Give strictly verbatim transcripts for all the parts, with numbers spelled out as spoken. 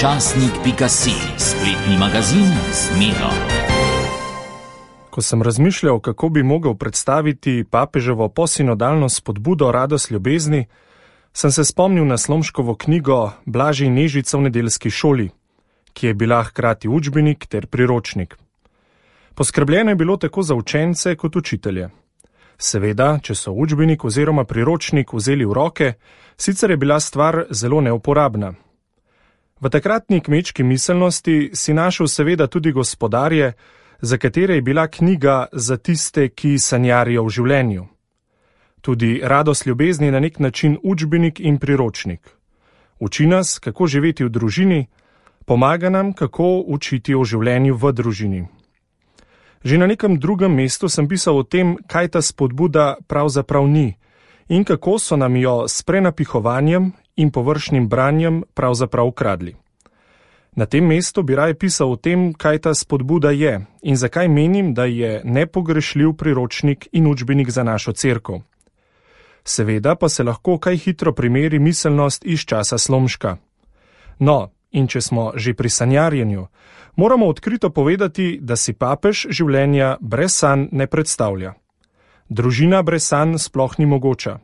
časnik pika si, spletni magazin z Miro. Ko sem razmišljal, kako bi mogel predstaviti papeževo posinodalno spodbudo Radost ljubezni, sem se spomnil na Slomškovo knjigo Blažej Nežica v nedeljski šoli, ki je bila hkrati učbenik ter priročnik. Poskrbljeno je bilo tako za učence kot učitelje. Seveda, če so učbenik oziroma priročnik vzeli v roke, sicer je bila stvar zelo neuporabna. V takratni kmečki miselnosti si našel seveda tudi gospodarje, za katere je bila knjiga za tiste, ki sanjarijo v življenju. Tudi Radost ljubezni je na nek način učbenik in priročnik. Uči nas, kako živeti v družini, pomaga nam, kako učiti o življenju v družini. Že na nekem drugem mestu sem pisal o tem, kaj ta spodbuda pravzaprav ni in kako so nam jo s prenapihovanjem in površnim branjem pravzaprav ukradli. Na tem mestu bi raje pisal o tem, kaj ta spodbuda je in zakaj menim, da je nepogrešljiv priročnik in učbenik za našo cerkev. Seveda pa se lahko kaj hitro primeri miselnost iz časa Slomška. No, in če smo že pri sanjarjenju, moramo odkrito povedati, da si papež življenja brez sanj ne predstavlja. Družina brez sanj sploh ni mogoča.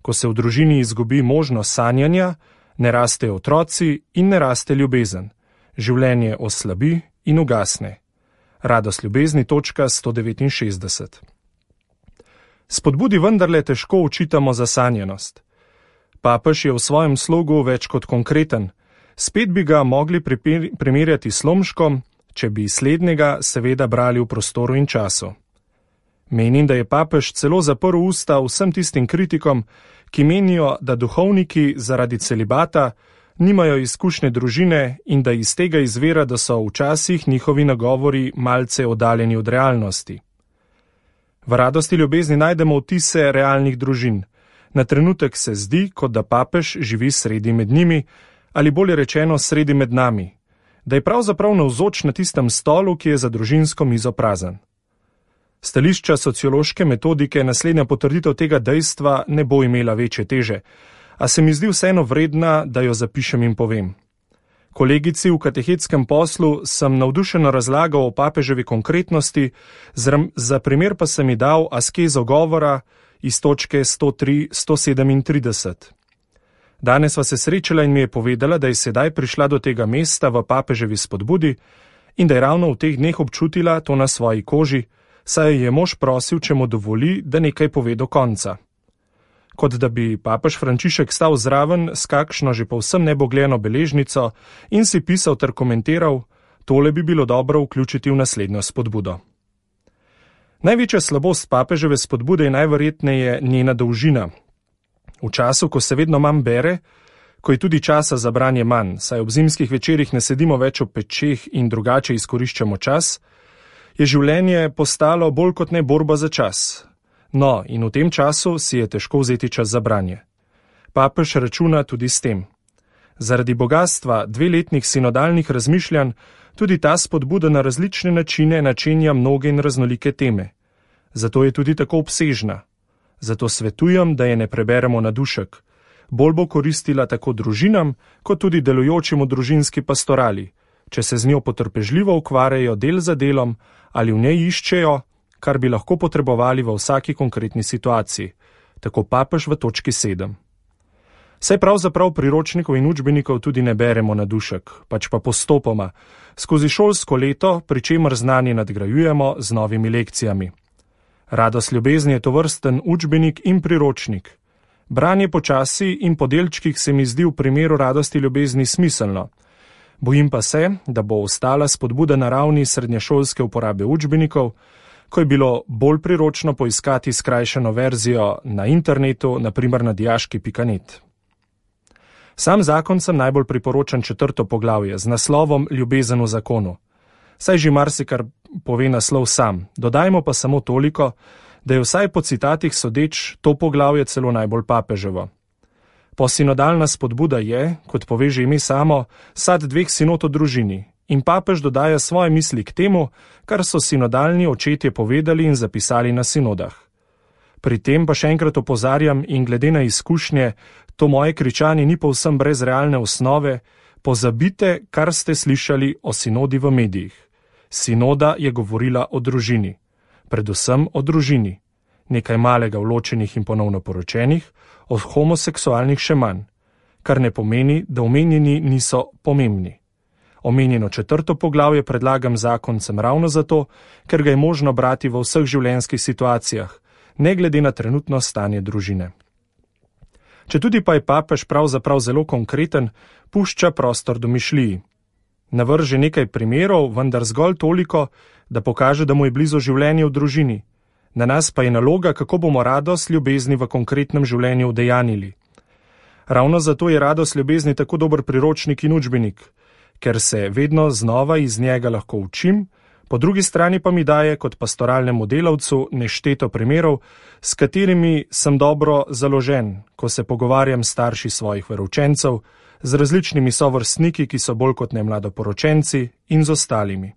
Ko se v družini izgubi možnost sanjanja, ne rastejo otroci in ne raste ljubezen. Življenje oslabi in ugasne. Radost ljubezni, točka sto devetinšestdeset. Spodbudi vendarle težko učitamo zasanjenost. Papež je v svojem slogu več kot konkreten. Spet bi ga mogli primerjati s Slomškom, če bi slednjega seveda brali v prostoru in času. Menim, da je papež celo zaprl usta vsem tistim kritikom, ki menijo, da duhovniki zaradi celibata nimajo izkušnje družine in da iz tega izvira, da so včasih njihovi nagovori malce oddaljeni od realnosti. V Radosti ljubezni najdemo vtise realnih družin. Na trenutek se zdi, kot da papež živi sredi med njimi, ali bolje rečeno sredi med nami, da je pravzaprav navzoč na tistem stolu, ki je za družinsko mizo prazen. Stališča sociološke metodike naslednja potrditev tega dejstva ne bo imela večje teže, a se mi zdi vseeno vredna, da jo zapišem in povem. Kolegici v katehetskem poslu sem navdušeno razlagal o papeževi konkretnosti, za primer pa sem ji dal askezo govora iz točke sto tri sto sedemintrideset. Danes sva se srečala in mi je povedala, da je sedaj prišla do tega mesta v papeževi spodbudi in da je ravno v teh dneh občutila to na svoji koži, saj je mož prosil, če mu dovoli, da nekaj pove do konca. Kot da bi papež Frančišek stal zraven s kakšno že povsem nebogljeno beležnico in si pisal ter komentiral, tole bi bilo dobro vključiti v naslednjo spodbudo. Največja slabost papeževe spodbude je najverjetneje njena dolžina. V času, ko se vedno manj bere, ko je tudi časa za branje manj, saj ob zimskih večerih ne sedimo več ob pečeh in drugače izkoriščamo čas, je življenje postalo bolj kot ne borba za čas. No, in v tem času si je težko vzeti čas za branje. Papež računa tudi s tem. Zaradi bogatstva dveletnih sinodalnih razmišljanj tudi ta spodbuda na različne načine načenja mnoge in raznolike teme. Zato je tudi tako obsežna. Zato svetujem, da je ne preberemo na dušek. Bolj bo koristila tako družinam, kot tudi delujočim v družinski pastorali, če se z njo potrpežljivo ukvarjajo del za delom ali v njej iščejo, kar bi lahko potrebovali v vsaki konkretni situaciji, tako papež v točki sedem. Saj pravzaprav priročnikov in učbenikov tudi ne beremo na dušek, pač pa postopoma, skozi šolsko leto, pri čemer znanje nadgrajujemo z novimi lekcijami. Radost ljubezni je tovrsten učbenik in priročnik. Branje počasi in po delčkih se mi zdi v primeru Radosti ljubezni smiselno. Bojim pa se, da bo ostala spodbuda na ravni srednješolske uporabe učbenikov, ko je bilo bolj priročno poiskati skrajšano verzijo na internetu, na primer na dijaški pika net. Sam zakon sem najbolj priporočam četrto poglavje z naslovom Ljubezen v zakonu. Saj že marsikar pove naslov sam, dodajmo pa samo toliko, da je vsaj po citatih sodeč to poglavje celo najbolj papeževo. Posinodalna spodbuda je, kot pove že ime samo, sad dveh sinod o družini in papež dodaja svoje misli k temu, kar so sinodalni očetje povedali in zapisali na sinodah. Pri tem pa še enkrat opozarjam in glede na izkušnje, to moje kričanje ni povsem brez realne osnove, pozabite, kar ste slišali o sinodi v medijih. Sinoda je govorila o družini, predvsem o družini, nekaj malega v ločenih in ponovno poročenih, o homoseksualnih še manj, kar ne pomeni, da omenjeni niso pomembni. Omenjeno četrto poglavje predlagam zakoncem ravno zato, ker ga je možno brati v vseh življenjskih situacijah, ne glede na trenutno stanje družine. Četudi pa je papež pravzaprav zelo konkreten, pušča prostor domišljiji. Navrže nekaj primerov, vendar zgolj toliko, da pokaže, da mu je blizu življenje v družini. Na nas pa je naloga, kako bomo radost ljubezni v konkretnem življenju udejanili. Ravno zato je radost ljubezni tako dober priročnik in učbenik, ker se vedno znova iz njega lahko učim, po drugi strani pa mi daje kot pastoralnemu delavcu nešteto primerov, s katerimi sem dobro založen, ko se pogovarjam s starši svojih veroučencev, z različnimi sovrstniki, ki so bolj kot ne mladoporočenci, in z ostalimi.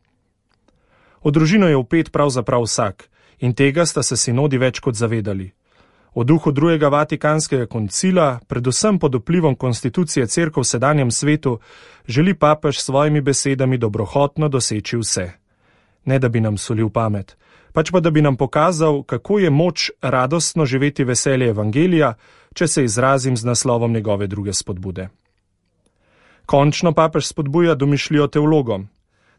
V družino je vpet pravzaprav vsak, in tega sta se sinodi več kot zavedali. V duhu drugega Vatikanskega koncila, predvsem pod vplivom konstitucije cerkev v sedanjem svetu, želi papež s svojimi besedami dobrohotno doseči vse. Ne da bi nam solil pamet, pač pa da bi nam pokazal, kako je moč radostno živeti veselje evangelija, če se izrazim z naslovom njegove druge spodbude. Končno papež spodbuja domišljijo teologom.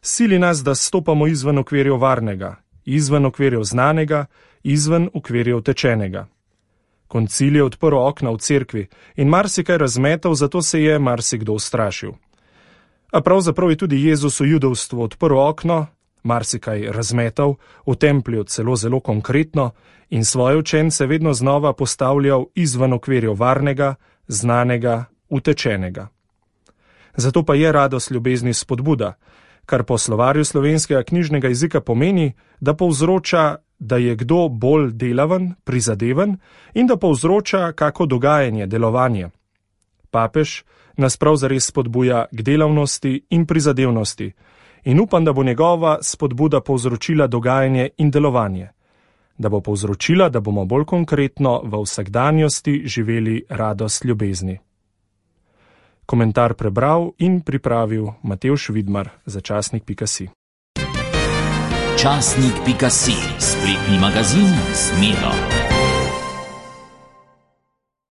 Sili nas, da stopamo izven okvirjev varnega, izven okvirjev znanega, izven okvirjev tečenega. Koncil je odprl okna v cerkvi in marsikaj razmetal, zato se je marsikdo ustrašil. A pravzaprav je tudi Jezus v judovstvu odprl okno, marsikaj razmetal, v templju celo zelo konkretno in svoje učence vedno znova postavljal izven okvirjev varnega, znanega, utečenega. Zato pa je radost ljubezni spodbuda, kar po slovarju slovenskega knjižnega jezika pomeni, da povzroča, da je kdo bolj delaven, prizadeven in da povzroča kako dogajanje, delovanje. Papež nas prav zares spodbuja k delavnosti in prizadevnosti in upam, da bo njegova spodbuda povzročila dogajanje in delovanje, da bo povzročila, da bomo bolj konkretno v vsakdanjosti živeli radost ljubezni. Komentar prebral in pripravil Matevž Vidmar za časnik pika si. Časnik pika si, spletni magazin z Miro.